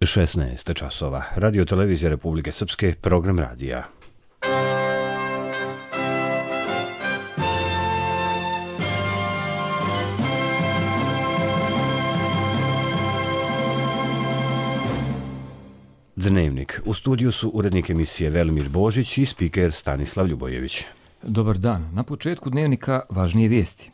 16 časova. Radio televizija Republike Srpske, program radija. Dnevnik. U studiju su urednik emisije Velimir Božić i spiker Stanislav Ljubojević. Dobar dan. Na početku dnevnika važnije vijesti.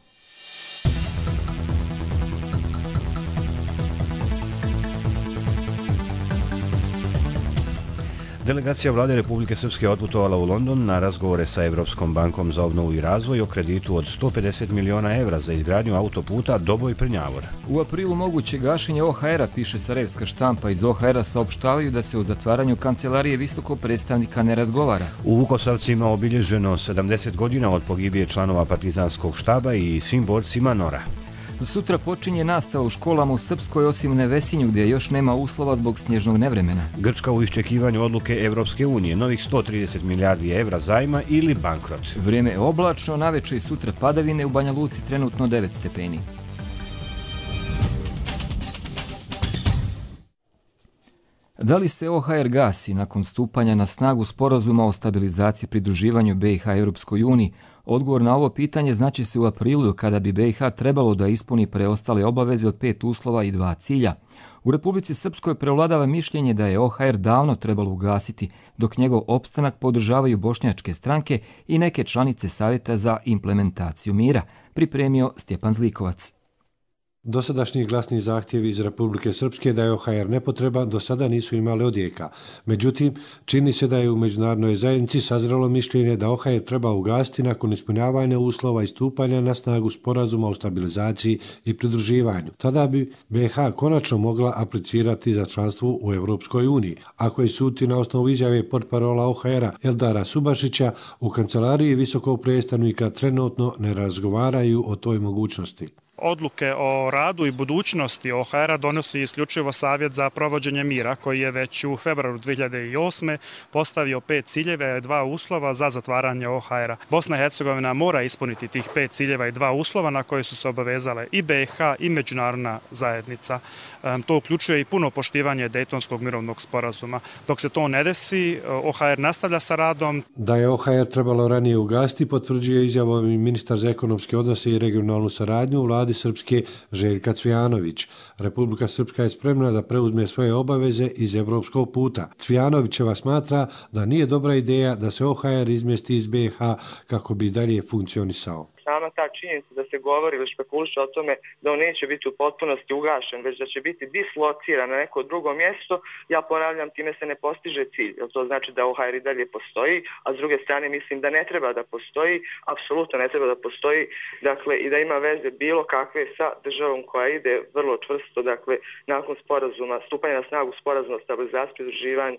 Delegacija vlade Republike Srpske otputovala u London na razgovore sa Evropskom bankom za obnovu i razvoj o kreditu od 150 miliona evra za izgradnju autoputa Doboj-Prnjavor. U aprilu moguće gašenje OHR-a, piše Sarajevska štampa. Iz OHR-a saopštavaju da se o zatvaranju kancelarije visokog predstavnika ne razgovara. U Vukosavcima obilježeno 70 godina od pogibije članova partizanskog štaba i svim borcima NOR-a. Sutra počinje nastava u školama u Srpskoj, osim u Nevesinju, gdje još nema uslova zbog snježnog nevremena. Grčka u iščekivanju odluke Evropske unije, novih 130 milijardi evra zajma ili bankrot. Vrijeme je oblačno, naveče i sutra padavine, u Banja Luci trenutno 9 stepeni. Da li se OHR gasi nakon stupanja na snagu sporazuma o stabilizaciji pridruživanju BiH Europskoj uniji? Odgovor na ovo pitanje znaće se u aprilu, kada bi BiH trebalo da ispuni preostale obaveze od 5 uslova i 2 cilja. U Republici Srpskoj prevladava mišljenje da je OHR davno trebalo ugasiti, dok njegov opstanak podržavaju bošnjačke stranke i neke članice Savjeta za implementaciju mira, pripremio Stjepan Zlikovac. Dosadašnji glasni zahtjevi iz Republike Srpske da je OHR nepotreban do sada nisu imali odjeka. Međutim, čini se da je u međunarodnoj zajednici sazrelo mišljenje da OHR treba ugasiti nakon ispunjavanja uslova i stupanja na snagu sporazuma o stabilizaciji i pridruživanju. Tada bi BiH konačno mogla aplicirati za članstvo u Europskoj uniji. Ako je suditi na osnovu izjave portparola OHR-a Eldara Subašića, u kancelariji visokog predstavnika trenutno ne razgovaraju o toj mogućnosti. Odluke o radu i budućnosti OHR-a donosi isključivo Savjet za provođenje mira, koji je već u februaru 2008. postavio 5 ciljeva i 2 uslova za zatvaranje OHR-a. Bosna i Hercegovina mora ispuniti tih 5 ciljeva i 2 uslova na koje su se obavezale i BiH i međunarodna zajednica. To uključuje i puno poštivanje Dejtonskog mirovnog sporazuma. Dok se to ne desi, OHR nastavlja sa radom. Da je OHR trebalo ranije ugasiti, potvrđuje izjavom i ministar za ekonomske odnose i regionalnu saradnju vladi Srpske Željka Cvijanović. Republika Srpska je spremna da preuzme svoje obaveze iz evropskog puta. Cvijanovićeva smatra da nije dobra ideja da se OHR izmjesti iz BiH kako bi dalje funkcionisao. Sama ta činjenica da se govori ili špekuliše o tome da on neće biti u potpunosti ugašen, već da će biti dislociran na neko drugo mjesto, ja ponavljam, time se ne postiže cilj. Jer to znači da OHR i dalje postoji, a s druge strane mislim da ne treba da postoji, apsolutno ne treba da postoji, dakle i da ima veze bilo kakve sa državom koja ide vrlo čvrsto, dakle nakon sporazuma, stupanja na snagu sporazuma o stabilizaciji i pridruživanju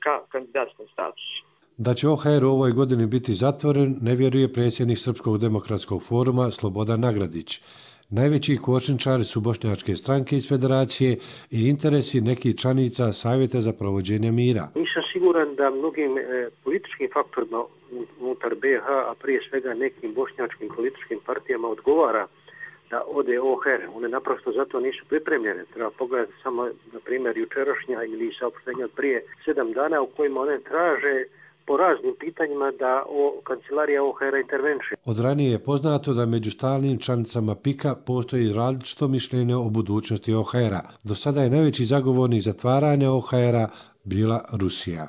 ka kandidatskom statusu. Da će OHR u ovoj godini biti zatvoren, ne vjeruje predsjednik Srpskog demokratskog foruma Slobodan Nagradić. Najveći kočničari su bošnjačke stranke iz federacije i interesi nekih članica Savjeta za provođenje mira. Nisam siguran da mnogim političkim faktorima unutar BiH, a prije svega nekim bošnjačkim političkim partijama odgovara da ode OHR. One naprosto zato nisu pripremljene. Treba pogledati samo, na primjer, jučerašnja ili saopštenja od prije 7 dana u kojima one traže po raznim pitanjima da kancelarija OHR-a intervenše. Od ranije je poznato da među stalnim članicama PIK-a postoji različito mišljenje o budućnosti OHR-a. Do sada je najveći zagovornik zatvaranja OHR-a bila Rusija.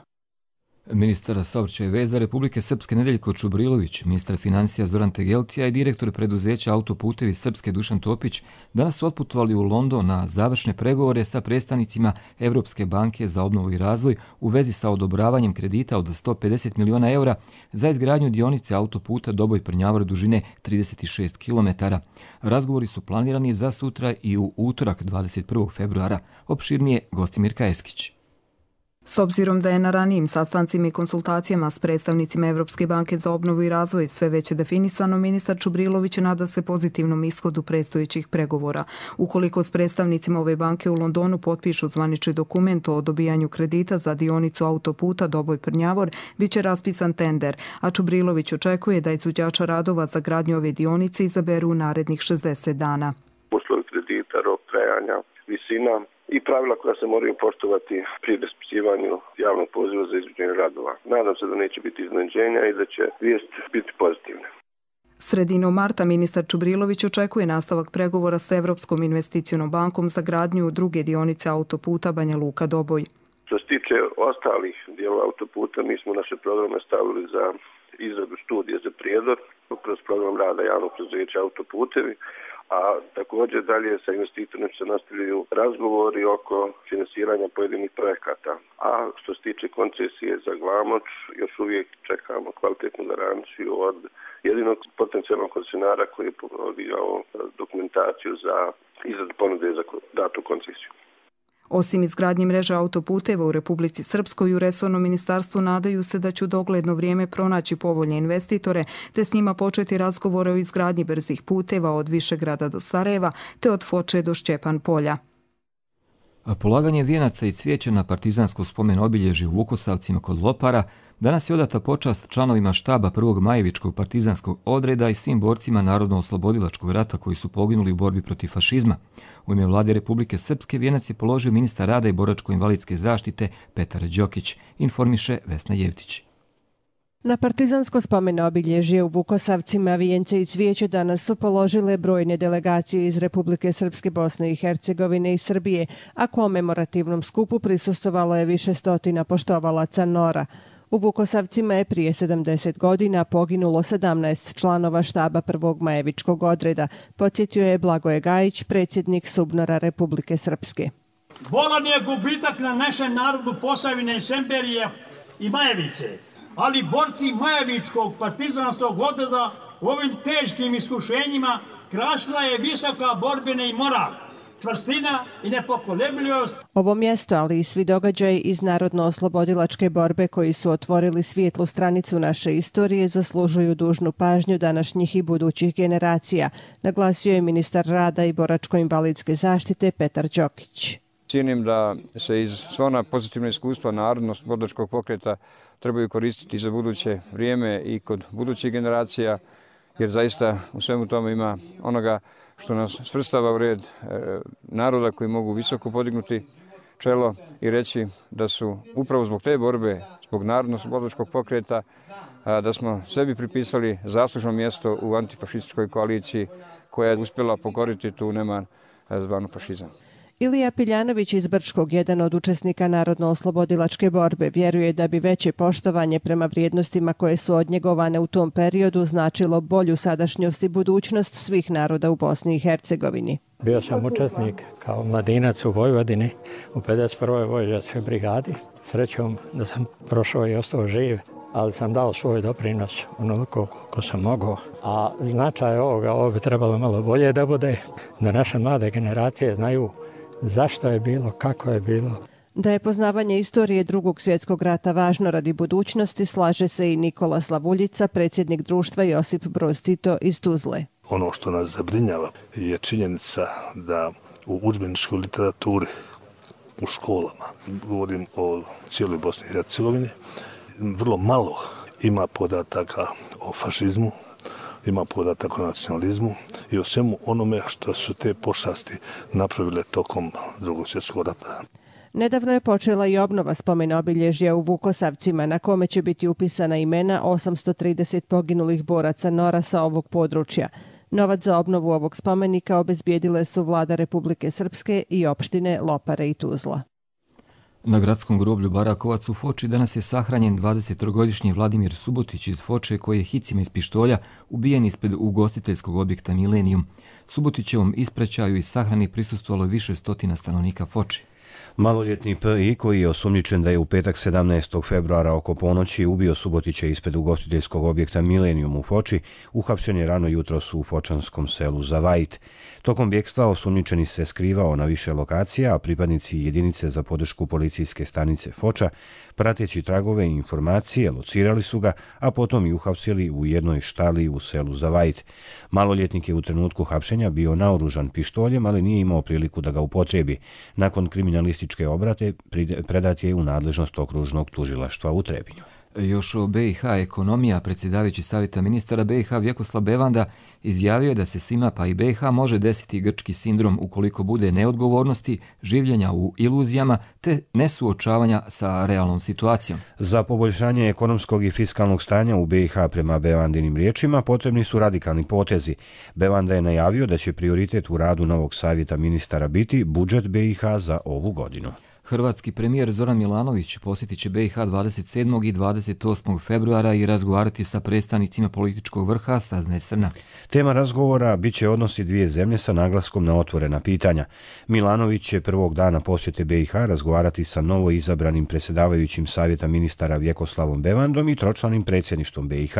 Ministar saobraćaja i veza Republike Srpske Nedeljko Čubrilović, ministar financija Zoran Tegeltija i direktor preduzeća Autoputevi Srpske Dušan Topić danas su otputovali u London na završne pregovore sa predstavnicima Evropske banke za obnovu i razvoj u vezi sa odobravanjem kredita od 150 miliona eura za izgradnju dionice autoputa Doboj-Prnjavor dužine 36 km. Razgovori su planirani za sutra i u utorak 21. februara. Opširnije Gostimir Kajeskić. S obzirom da je na ranijim sastancima i konsultacijama s predstavnicima Evropske banke za obnovu i razvoj sve već definisano, ministar Čubrilović nada se pozitivnom ishodu predstojećih pregovora. Ukoliko s predstavnicima ove banke u Londonu potpišu zvanični dokument o dobijanju kredita za dionicu autoputa Doboj-Prnjavor, bit će raspisan tender, a Čubrilović očekuje da izvođača radova za gradnju ove dionice izaberu u narednih 60 dana. Uslovi kredita, rok trajanja, visina i pravila koja se moraju poštovati pri raspisivanju javnog poziva za izvođenje radova. Nadam se da neće biti iznenađenja i da će vijest biti pozitivna. Sredinom marta ministar Čubrilović očekuje nastavak pregovora s Evropskom investicionom bankom za gradnju druge dionice autoputa Banja Luka-Doboj. Što se tiče ostalih dijelova autoputa, mi smo naše programe stavili za izradu studije za Prijedor kroz program rada javnog preduzeća Autoputevi, a također dalje sa investitorima se nastavljaju razgovori oko finansiranja pojedinih projekata. A što se tiče koncesije za Glamoč, još uvijek čekamo kvalitetnu garanciju od jedinog potencijalnog koncesionara koji je podigao dokumentaciju za izradu ponude za datu koncesiju. Osim izgradnje mreže autoputeva u Republici Srpskoj, u resornom ministarstvu nadaju se da će u dogledno vrijeme pronaći povoljne investitore te s njima početi razgovore o izgradnji brzih puteva od Višegrada do Sarajeva te od Foče do Šćepan polja. Polaganje vijenaca i cvijeća na partizansko spomen obilježje u Vukosavcima kod Lopara danas je odata počast članovima štaba 1. Majevičkog partizanskog odreda i svim borcima Narodno-oslobodilačkog rata koji su poginuli u borbi protiv fašizma. U ime Vlade Republike Srpske vijenac je položio ministar rada i boračko-invalidske zaštite Petar Đokić, informiše Vesna Jevtić. Na partizansko spomen obilježje u Vukosavcima vijence i cvijeće danas su položile brojne delegacije iz Republike Srpske, Bosne i Hercegovine i Srbije, a komemorativnom skupu prisustvovalo je više stotina poštovalaca NOR-a. U Vukosavcima je prije 70 godina poginulo 17 članova štaba 1. Majevičkog odreda, podsjetio je Blagoje Gajić, predsjednik SUBNOR-a Republike Srpske. Bolan je gubitak na našem narodu Posavine, Semberije i Majevice, ali borci Majevičkog partizanskog odreda u ovim teškim iskušenjima krasila je visoka borbena i moral, čvrstina i nepokolebljivost. Ovo mjesto, ali i svi događaji iz Narodno-oslobodilačke borbe koji su otvorili svijetlu stranicu naše istorije zaslužuju dužnu pažnju današnjih i budućih generacija, naglasio je ministar rada i boračko-invalidske zaštite Petar Đokić. Cijenim da se iz sva ona pozitivna iskustva Narodno-oslobodilačkog pokreta trebaju koristiti za buduće vrijeme i kod budućih generacija, jer zaista u svemu tome ima onoga što nas svrstava u red naroda koji mogu visoko podignuti čelo i reći da su upravo zbog te borbe, zbog Narodno-oslobodilačkog pokreta, da smo sebi pripisali zaslužno mjesto u antifašističkoj koaliciji koja je uspjela pokoriti tu neman zvanu fašizam. Ilija Piljanović iz Brčkog, jedan od učesnika Narodno-oslobodilačke borbe, vjeruje da bi veće poštovanje prema vrijednostima koje su odnjegovane u tom periodu značilo bolju sadašnjost i budućnost svih naroda u Bosni i Hercegovini. Bio sam učesnik kao mladinac u Vojvodini u 51. vojvođanskoj brigadi. Srećom da sam prošao i ostao živ, ali sam dao svoj doprinos onoliko koliko sam mogao. A značaj ovo bi trebalo malo bolje da bude, da naše mlade generacije znaju zašto je bilo, kako je bilo. Da je poznavanje istorije Drugog svjetskog rata važno radi budućnosti, slaže se i Nikola Slavuljica, predsjednik društva Josip Broz Tito iz Tuzle. Ono što nas zabrinjava je činjenica da u udžbeničkoj literaturi u školama, govorim o cijeloj Bosni i Hercegovini, vrlo malo ima podataka o fašizmu, ima podataka o nacionalizmu i o svemu onome što su te pošasti napravile tokom Drugog svjetskog rata. Nedavno je počela i obnova spomena obilježja u Vukosavcima, na kome će biti upisana imena 830 poginulih boraca NOR-a sa ovog područja. Novac za obnovu ovog spomenika obezbijedile su Vlada Republike Srpske i opštine Lopare i Tuzla. Na gradskom groblju Barakovac u Foči danas je sahranjen 23-godišnji Vladimir Subotić iz Foče koji je hicima iz pištolja ubijen ispred ugostiteljskog objekta Millennium. Subotićevom ispraćaju i sahrani prisustvovalo više stotina stanovnika Foče. Maloljetni P.I. koji je osumnjičen da je u petak 17. februara oko ponoći ubio Subotića ispred ugostiteljskog objekta Millennium u Foči, uhapšen je rano jutros u fočanskom selu Zavajt. Tokom bjekstva osumnjičeni se skrivao na više lokacija, a pripadnici jedinice za podršku policijske stanice Foča, prateći tragove i informacije, locirali su ga, a potom i uhapsili u jednoj štali u selu Zavajt. Maloljetnik je u trenutku hapšenja bio naoružan pištoljem, ali nije imao priliku da ga upotrebi. Nakon kriminalističke obrade predat je u nadležnost okružnog tužilaštva u Trebinju. Još o BiH ekonomija, predsjedavajući savjeta ministara BiH Vjekoslav Bevanda izjavio je da se svima pa i BiH može desiti grčki sindrom ukoliko bude neodgovornosti, življenja u iluzijama te nesuočavanja sa realnom situacijom. Za poboljšanje ekonomskog i fiskalnog stanja u BiH prema Bevandinim riječima potrebni su radikalni potezi. Bevanda je najavio da će prioritet u radu novog savjeta ministara biti budžet BiH za ovu godinu. Hrvatski premijer Zoran Milanović posjetit će BiH 27. i 28. februara i razgovarati sa predstavnicima političkog vrha, saznaje Srna. Tema razgovora bit će odnosi dvije zemlje sa naglaskom na otvorena pitanja. Milanović će prvog dana posjete BiH razgovarati sa novo izabranim predsjedavajućim savjeta ministara Vjekoslavom Bevandom i tročlanim predsjedništvom BiH.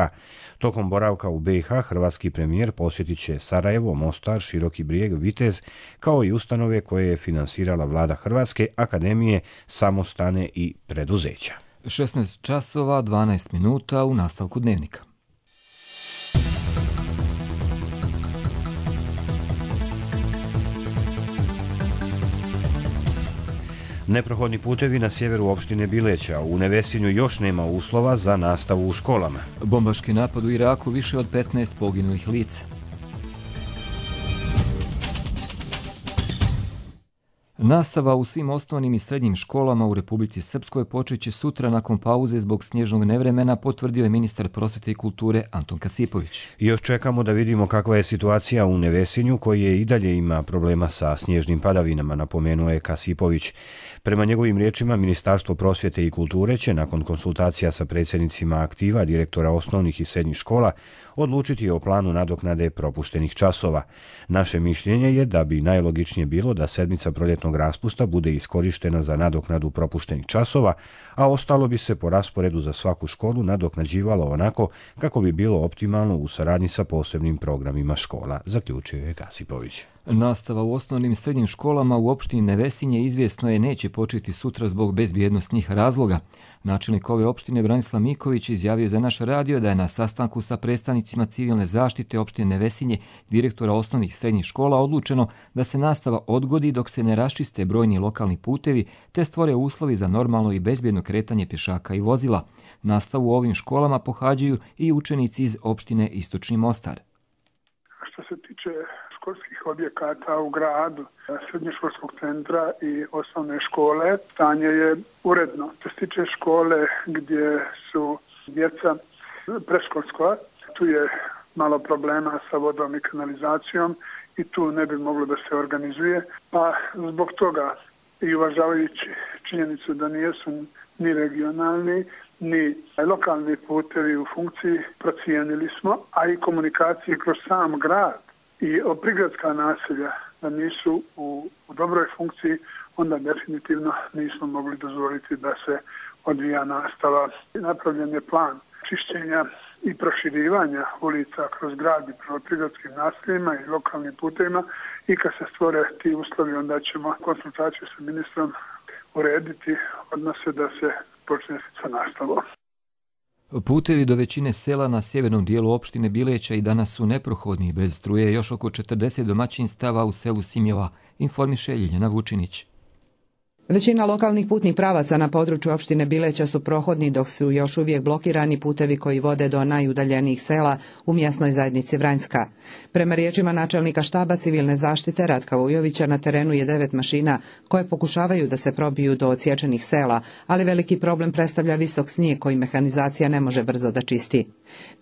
Tokom boravka u BiH hrvatski premijer posjetit će Sarajevo, Mostar, Široki Brijeg, Vitez, kao i ustanove koje je finansirala vlada Hrvatske, akademije, samostane i preduzeća. 16 časova, 12 minuta u nastavku dnevnika. Neprohodni putevi na sjeveru opštine Bileća. U Nevesinju još nema uslova za nastavu u školama. Bombaški napad u Iraku, više od 15 poginulih lica. Nastava u svim osnovnim i srednjim školama u Republici Srpskoj počeće sutra nakon pauze zbog snježnog nevremena, potvrdio je ministar prosvjete i kulture Anton Kasipović. Još čekamo da vidimo kakva je situacija u Nevesinju, koji je i dalje ima problema sa snježnim padavinama, napomenuo je Kasipović. Prema njegovim riječima, Ministarstvo prosvjete i kulture će nakon konsultacija sa predsjednicima aktiva, direktora osnovnih i srednjih škola, odlučiti o planu nadoknade propuštenih časova. Naše mišljenje je da bi najlogičnije bilo da sedmica proljetnog raspusta bude iskorištena za nadoknadu propuštenih časova, a ostalo bi se po rasporedu za svaku školu nadoknađivalo onako kako bi bilo optimalno u saradnji sa posebnim programima škola, zaključio je Kasipović. Nastava u osnovnim i srednjim školama u opštini Nevesinje izvjesno je neće početi sutra zbog bezbjednosnih razloga. Načelnik ove opštine Branislav Miković izjavio za naš radio da je na sastanku sa predstavnicima civilne zaštite opštine Nevesinje, direktora osnovnih i srednjih škola, odlučeno da se nastava odgodi dok se ne raščiste brojni lokalni putevi te stvore uslovi za normalno i bezbjedno kretanje pješaka i vozila. Nastavu u ovim školama pohađaju i učenici iz opštine Istočni Mostar. Što se tiče školskih objekata u gradu, srednjoškolskog centra i osnovne škole, stanje je uredno. Što se tiče škole gdje su djeca predškolska, tu je malo problema sa vodom i kanalizacijom i tu ne bi moglo da se organizuje. Pa zbog toga i uvažavajući činjenicu da nijesu ni regionalni, ni lokalni putevi u funkciji, procijenili smo, a i komunikacije kroz sam grad i prigradska naselja da nisu u dobroj funkciji, onda definitivno nismo mogli dozvoliti da se odvija nastava. Napravljen je plan čišćenja i proširivanja ulica kroz grad i prema prigradskim naseljima i lokalnim putevima i kad se stvore ti uslovi, onda ćemo konsultaciju sa ministrom urediti odnose da se počne sa nastavom. Putevi do većine sela na sjevernom dijelu opštine Bileća i danas su neprohodni. Bez struje još oko 40 domaćinstava u selu Simjova, informiše Ljiljana Vučinić. Većina lokalnih putnih pravaca na području opštine Bileća su prohodni, dok su još uvijek blokirani putevi koji vode do najudaljenijih sela u mjesnoj zajednici Vranjska. Prema riječima načelnika štaba civilne zaštite Ratka Vujovića, na terenu je 9 mašina koje pokušavaju da se probiju do odsječenih sela, ali veliki problem predstavlja visok snijeg koji mehanizacija ne može brzo da čisti.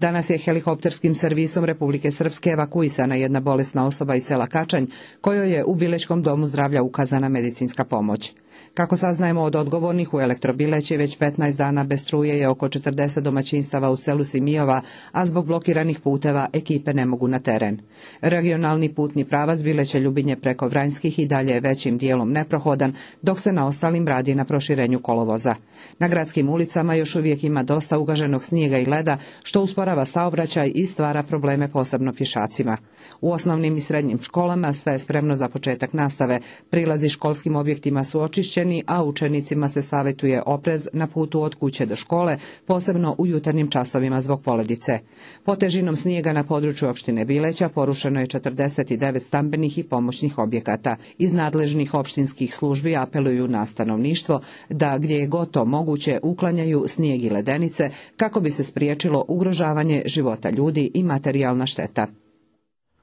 Danas je helikopterskim servisom Republike Srpske evakuisana jedna bolesna osoba iz sela Kačanj, kojoj je u Bilečkom domu zdravlja ukazana medicinska pomoć. Kako saznajemo od odgovornih, u Elektrobileći već 15 dana bez struje je oko 40 domaćinstava u selu Simijova, a zbog blokiranih puteva ekipe ne mogu na teren. Regionalni putni pravac Bileće-Ljubinje preko Vranjskih i dalje je većim dijelom neprohodan, dok se na ostalim radi na proširenju kolovoza. Na gradskim ulicama još uvijek ima dosta ugaženog snijega i leda, što usporava saobraćaj i stvara probleme posebno pješacima. U osnovnim i srednjim školama sve je spremno za početak nastave, prilazi školskim objektima su očišćeni, zaštićeni, a učenicima se savjetuje oprez na putu od kuće do škole, posebno u jutarnjim časovima zbog poledice. Po težinom snijega na području opštine Bileća porušeno je 49 stambenih i pomoćnih objekata. Iz nadležnih opštinskih službi apeluju na stanovništvo da gdje je god to moguće uklanjaju snijeg i ledenice kako bi se spriječilo ugrožavanje života ljudi i materijalna šteta.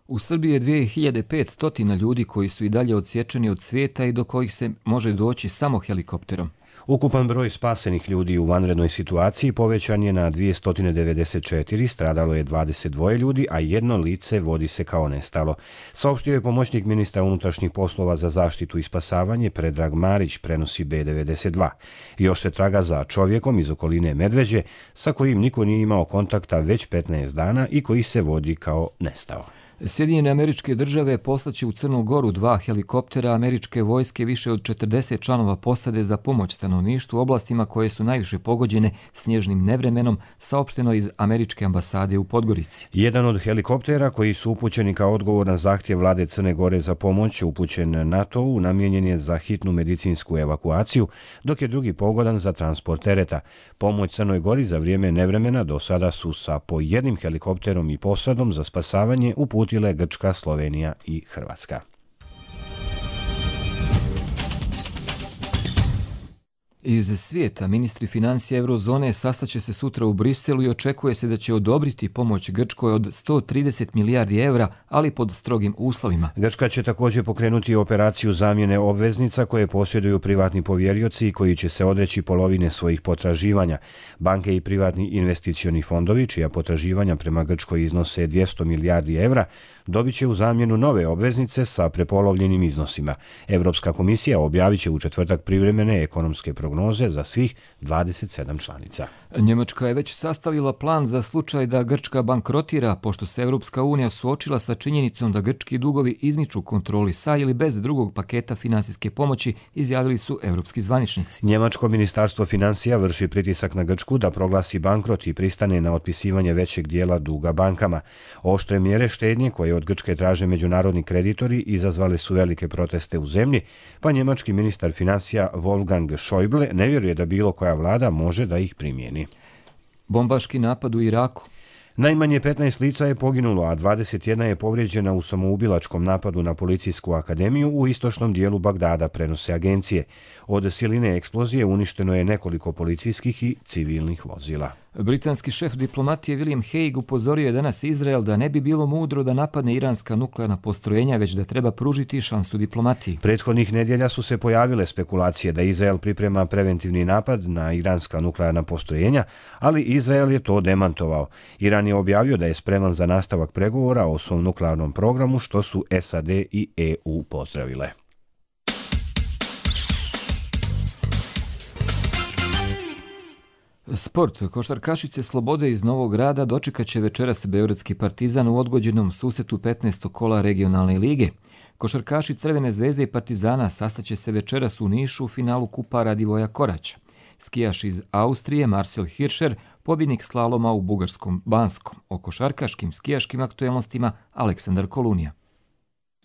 U Srbiji je 2500 ljudi koji su i dalje odsječeni od svijeta i do kojih se može doći samo helikopterom. Ukupan broj spasenih ljudi u vanrednoj situaciji povećan je na 294, stradalo je 22 ljudi, a jedno lice vodi se kao nestalo. Saopštio je pomoćnik ministra unutrašnjih poslova za zaštitu i spasavanje Predrag Marić, prenosi B92. Još se traga za čovjekom iz okoline Medveđe, sa kojim niko nije imao kontakta već 15 dana i koji se vodi kao nestao. Sjedinjene Američke Države poslaće u Crnu Goru 2 helikoptera američke vojske, više od 40 članova posade za pomoć stanovništvu u oblastima koje su najviše pogođene snježnim nevremenom, saopšteno iz američke ambasade u Podgorici. Jedan od helikoptera koji su upućeni kao odgovor na zahtjev vlade Crne Gore za pomoć upućen NATO-u namijenjen je za hitnu medicinsku evakuaciju, dok je drugi pogodan za transport tereta. Pomoć Crnoj Gori za vrijeme nevremena do sada su sa po jednim helikopterom i posadom za spasavanje uputile Grčka, Slovenija i Hrvatska. Iz svijeta ministri financija eurozone sastaće se sutra u Briselu i očekuje se da će odobriti pomoć Grčkoj od 130 milijardi evra, ali pod strogim uslovima. Grčka će također pokrenuti operaciju zamjene obveznica koje posjeduju privatni povjerioci i koji će se odreći polovine svojih potraživanja. Banke i privatni investicioni fondovi, čija potraživanja prema Grčkoj iznose 200 milijardi evra, dobit će u zamjenu nove obveznice sa prepolovljenim iznosima. Europska komisija objavit će u četvrtak privremene ekonomske prognoze za svih 27 članica. Njemačka je već sastavila plan za slučaj da Grčka bankrotira, pošto se Europska unija suočila sa činjenicom da grčki dugovi izmiču kontroli sa ili bez drugog paketa finansijske pomoći, izjavili su europski zvaničnici. Njemačko ministarstvo financija vrši pritisak na Grčku da proglasi bankrot i pristane na otpisivanje većeg dijela duga bankama. Oštre mjere štednje koje od Grčke traže međunarodni kreditori izazvale su velike proteste u zemlji, pa njemački ministar financija Wolfgang Schäuble ne vjeruje da bilo koja vlada može da ih primijeni. Bombaški napad u Iraku. Najmanje 15 lica je poginulo, a 21 je povrijeđena u samoubilačkom napadu na policijsku akademiju u istočnom dijelu Bagdada, prenose agencije. Od siline eksplozije uništeno je nekoliko policijskih i civilnih vozila. Britanski šef diplomatije William Hague upozorio je danas Izrael da ne bi bilo mudro da napadne iranska nuklearna postrojenja, već da treba pružiti šansu diplomatiji. Prethodnih nedjelja su se pojavile spekulacije da Izrael priprema preventivni napad na iranska nuklearna postrojenja, ali Izrael je to demantovao. Iran je objavio da je spreman za nastavak pregovora o svom nuklearnom programu, što su SAD i EU pozdravile. Sport. Košarkašice Slobode iz Novog Grada dočekat će večeras beogradski Partizan u odgođenom susretu 15. kola regionalne lige. Košarkaši Crvene zvezde i Partizana sastaće se večeras u Nišu u finalu Kupa Radivoja Koraća. Skijaš iz Austrije Marcel Hirscher, pobjednik slaloma u bugarskom Banskom. O košarkaškim skijaškim aktuelnostima Aleksandar Kolunija.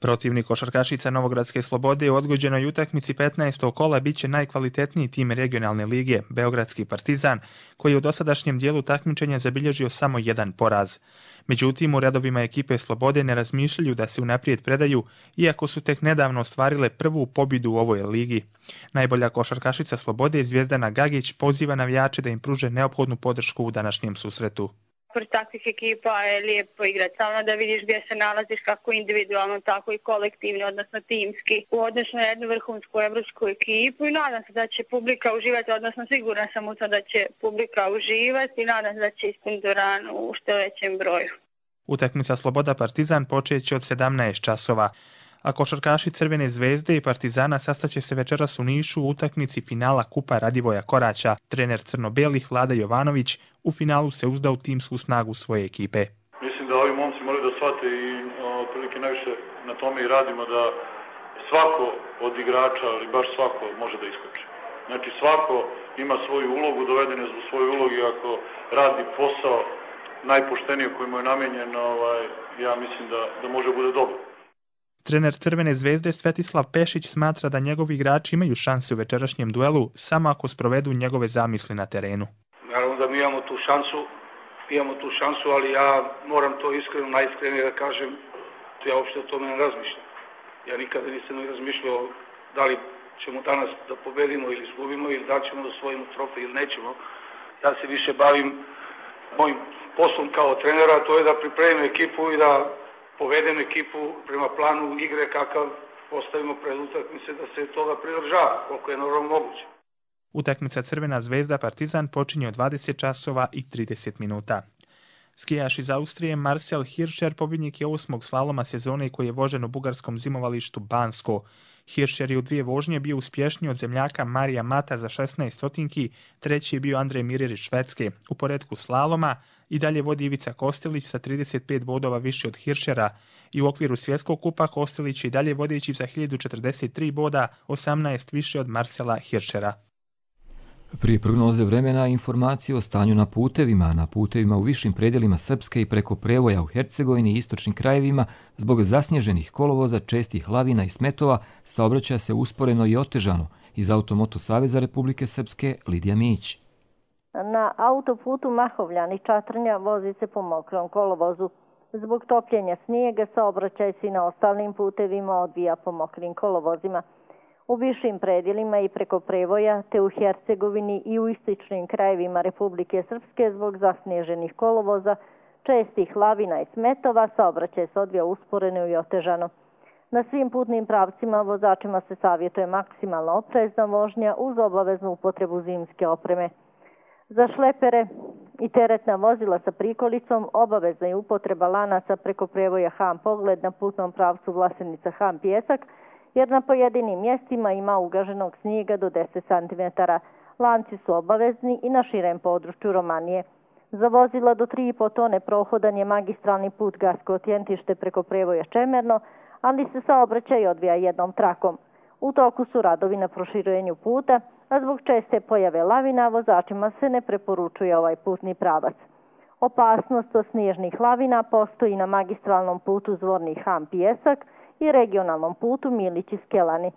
Protivnik košarkašica Novogradske Slobode u odgođenoj utakmici 15. kola biće najkvalitetniji tim regionalne lige, Beogradski Partizan, koji je u dosadašnjem dijelu takmičenja zabilježio samo jedan poraz. Međutim, u redovima ekipe Slobode ne razmišljaju da se unaprijed predaju, iako su tek nedavno ostvarile prvu pobjedu u ovoj ligi. Najbolja košarkašica Slobode, Zvjezdana Gagić, poziva navijače da im pruže neophodnu podršku u današnjem susretu. Pored takvih ekipa je lijepo igrati, samo da vidiš gdje se nalaziš kako individualno, tako i kolektivno, odnosno timski, u odnosu na jednu vrhunsku evropsku ekipu i nadam se da će publika uživati, odnosno sigurna sam u to da će publika uživati i nadam se da će ispuniti dvoranu u što većem broju. Utakmica Sloboda Partizan počeće od 17 časova, a košarkaši Crvene zvezde i Partizana sastaće se večeras u Nišu u utakmici finala Kupa Radivoja Koraća. Trener crno-belih Vlada Jovanović u finalu se uzda u timsku snagu svoje ekipe. Mislim da ovi momci moraju da shvate i otprilike najviše na tome i radimo da svako od igrača, ali baš svako može da iskoči. Znači svako ima svoju ulogu, doveden je u svoju ulogu i ako radi posao najpoštenije koji mu je namenjen, ja mislim da može bude dobro. Trener Crvene zvezde Svetislav Pešić smatra da njegovi igrači imaju šanse u večerašnjem duelu samo ako sprovedu njegove zamisli na terenu. Naravno da mi imamo tu šansu, ali ja moram to iskreno, najiskrenije da kažem, ja uopšte o tome ne razmišljam. Ja nikada nisam ni razmišljao da li ćemo danas da pobedimo ili izgubimo ili da ćemo da osvojimo trofej ili nećemo. Ja se više bavim mojim poslom kao trenera, to je da pripremim ekipu i da povedem ekipu prema planu igre kakav postavimo pred utakmice, da se toga pridržava, koliko je normalno moguće. Utakmica Crvena zvezda Partizan počinje od 20 časova i 30 minuta. Skijaš iz Austrije Marcel Hirscher pobjednik je 8. slaloma sezone koji je vožen u bugarskom zimovalištu Bansko. Hirscher je u 2 vožnje bio uspješniji od zemljaka Marija Mata za 16 stotinki, treći je bio Andrej Mirer iz Švedske. U poretku slaloma i dalje vodi Ivica Kostelić sa 35 bodova više od Hirschera i u okviru svjetskog kupa Kostelić je i dalje vodeći za 1043 boda, 18 više od Marcela Hirschera. Prije prognoze vremena informacije o stanju na putevima u višim predjelima Srpske i preko prevoja u Hercegovini i istočnim krajevima zbog zasnježenih kolovoza, čestih lavina i smetova saobraćaja se usporeno i otežano. Iz Automoto Saveza Republike Srpske Lidija Mić. Na autoputu Mahovljani-Čatrnja vozi se po mokrom kolovozu. Zbog topljenja snijega saobraćaj se i na ostalim putevima odvija po mokrim kolovozima. U višim predjelima i preko prevoja, te u Hercegovini i u istočnim krajevima Republike Srpske zbog zasnježenih kolovoza, čestih lavina i smetova, saobraćaj se odvija usporeno i otežano. Na svim putnim pravcima vozačima se savjetuje maksimalno oprezna vožnja uz obaveznu upotrebu zimske opreme. Za šlepere i teretna vozila sa prikolicom obavezna je upotreba lanaca preko prevoja Ham Pogled na putnom pravcu Vlasenica-Ham Pjesak, jer na pojedinim mjestima ima ugaženog snijega do 10 cm. Lanci su obavezni i na širem području Romanije. Za vozila do 3,5 tone prohodan je magistralni put Gasko-Tjentište preko prevoja Čemerno, ali se saobraćaj odvija jednom trakom. U toku su radovi na proširenju puta, a zbog česte pojave lavina vozačima se ne preporučuje ovaj putni pravac. Opasnost od snježnih lavina postoji na magistralnom putu Zvorni Ham Pijesak i regionalnom putu Milići-Skelani.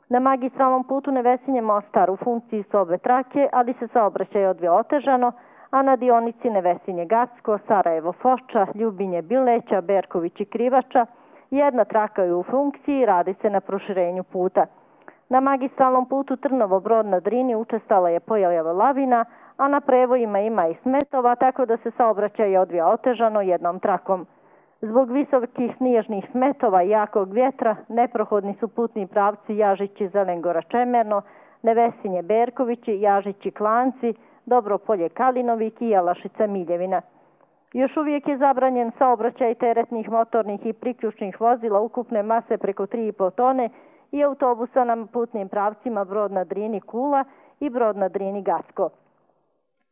Na magistralnom putu Nevesinje Mostar u funkciji su obe trake, ali se saobraćaj odvija otežano, a na dionici Nevesinje Gacko, Sarajevo Foča, Ljubinje Bileća, Berković i Krivača jedna traka je u funkciji i radi se na proširenju puta. Na magistralnom putu Trnovo Brod na Drini učestala je pojava lavina, a na prevojima ima i smetova, tako da se saobraćaj odvija otežano jednom trakom. Zbog visokih snježnih smetova i jakog vjetra neprohodni su putni pravci Jažići Zelengora Čemerno, Nevesinje Berkovići, Jažići Klanci, Dobropolje Kalinovik i Jelašica Miljevina. Još uvijek je zabranjen saobraćaj teretnih, motornih i priključnih vozila ukupne mase preko 3,5 tone i autobusa na putnim pravcima Brod na Drini Kula i Brod na Drini Gacko.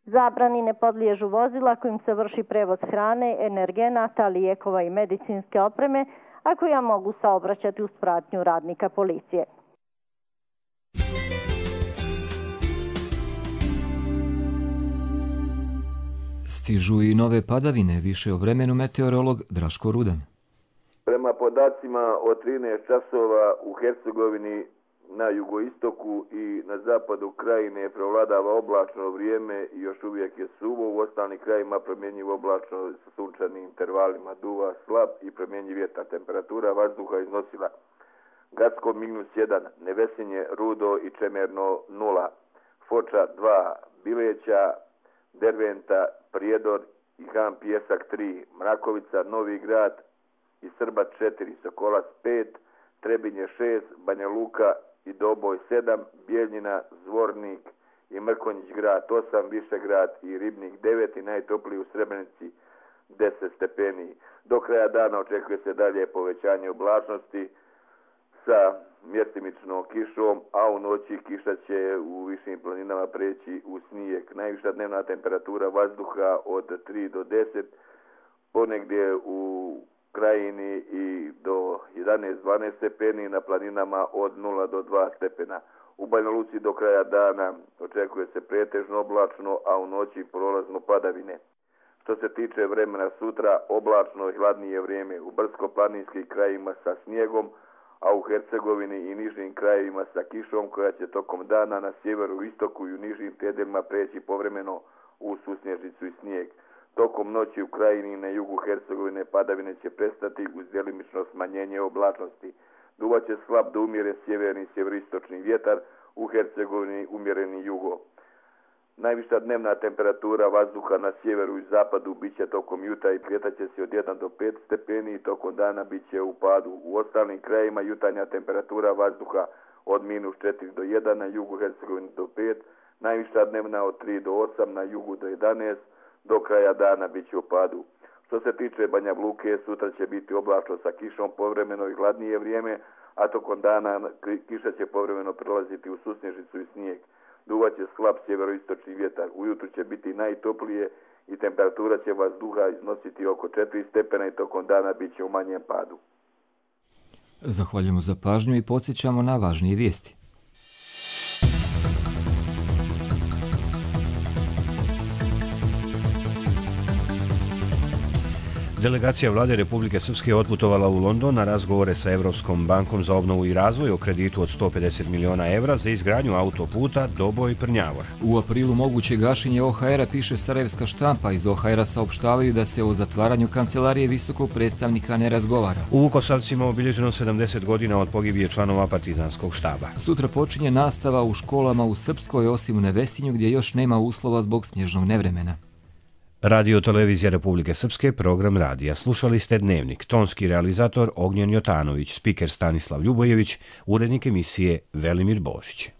Zabrani ne podliježu vozila kojim se vrši prevoz hrane, energenata, lijekova i medicinske opreme, a koja mogu saobraćati uz pratnju radnika policije. Stižu i nove padavine, više o vremenu meteorolog Draško Rudan. Prema podacima od 13 časova u Hercegovini na jugoistoku i na zapadu krajine prevladava oblačno vrijeme i još uvijek je suvo. U ostalim krajima promjenjivo oblačno sa sunčanim intervalima, duva slab i promjenjiv vjetar. Temperatura vazduha iznosila Gacko -1, Nevesinje, Rudo i Čemerno 0, Foča 2, Bileća, Derventa, Prijedor i Ham Pijesak 3, Mrakovica, Novi Grad i Srbac 4, Sokolac 5, Trebinje 6, Banja Luka i Doboj 7, Bijeljina, Zvornik i Mrkonjić grad 8, Višegrad i Ribnik 9 i najtopliji u Srebrenici 10 stepeni. Do kraja dana očekuje se dalje povećanje oblačnosti sa mjestimičnom kišom, a u noći kiša će u višim planinama preći u snijeg. Najviša dnevna temperatura vazduha od 3 do 10, ponegdje u krajini i do 11-12 stepeni, na planinama od 0 do 2 stepena. U Banja Luci do kraja dana očekuje se pretežno oblačno, a u noći prolazno padavine. Što se tiče vremena sutra, oblačno i hladnije vrijeme u brdsko-planinskim krajevima sa snijegom, a u Hercegovini i nižim krajevima sa kišom koja će tokom dana na sjeveru, istoku i u nižim predelima preći povremeno u susnježicu i snijeg. Tokom noći u krajini i na jugu Hercegovine padavine će prestati uz djelimično smanjenje oblačnosti. Duvaće slab do umjeren sjeverni i sjeveristočni vjetar, u Hercegovini umjereni jugo. Najviša dnevna temperatura vazduha na sjeveru i zapadu bit će tokom jutra i kretaće se od 1 do 5 stepeni i tokom dana bit će u padu. U ostalim krajima jutarnja temperatura vazduha od -4 do 1, na jugu Hercegovine do 5, najviša dnevna od 3 do 8, na jugu do 11, do kraja dana bit će u padu. Što se tiče Banja Luke, sutra će biti oblačno sa kišom, povremeno i hladnije vrijeme, a tokom dana kiša će povremeno prelaziti u susnježicu i snijeg. Duvaće slab sjeveroistočni vjetar. Ujutru će biti najtoplije i temperatura će vazduha iznositi oko 4 stepena i tokom dana bit će u manjem padu. Zahvaljujemo za pažnju i podsjećamo na važnije vijesti. Delegacija vlade Republike Srpske otputovala u London na razgovore sa Evropskom bankom za obnovu i razvoj o kreditu od 150 miliona evra za izgradnju autoputa Doboj-Prnjavor. U aprilu moguće gašenje OHR-a, piše Sarajevska štampa. Iz OHR-a saopštavaju da se o zatvaranju kancelarije visokog predstavnika ne razgovara. U Vukosavcima obilježeno 70 godina od pogibije članova partizanskog štaba. Sutra počinje nastava u školama u Srpskoj, osim u Nevesinju gdje još nema uslova zbog snježnog nevremena. Radio Televizija Republike Srpske, program radija. Slušali ste Dnevnik. Tonski realizator Ognjen Jotanović, spiker Stanislav Ljubojević, urednik emisije Velimir Božić.